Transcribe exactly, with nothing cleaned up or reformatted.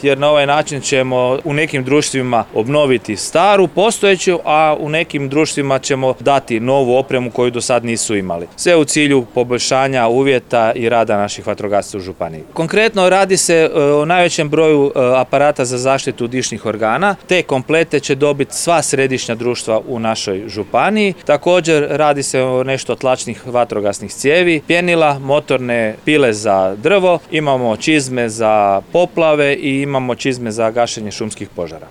jer na ovaj način ćemo u nekim društvima obnoviti staru, postojeću, a u nekim društvima ćemo dati novu opremu koju do sad nisu imali. Sve u cilju poboljšanja uvjeta i rada naših vatrogasaca u županiji. Konkretno radi se o najvećem broju aparata za zaštitu dišnih organa. Te komplete će dobiti sva središnja društva u našoj županiji. Također radi se o nešto tlačnih vatrogasnih cijevi, pjenila, motorne pile za drvo, imamo čizme za poplave i imamo čizme za gašenje šumskih požara.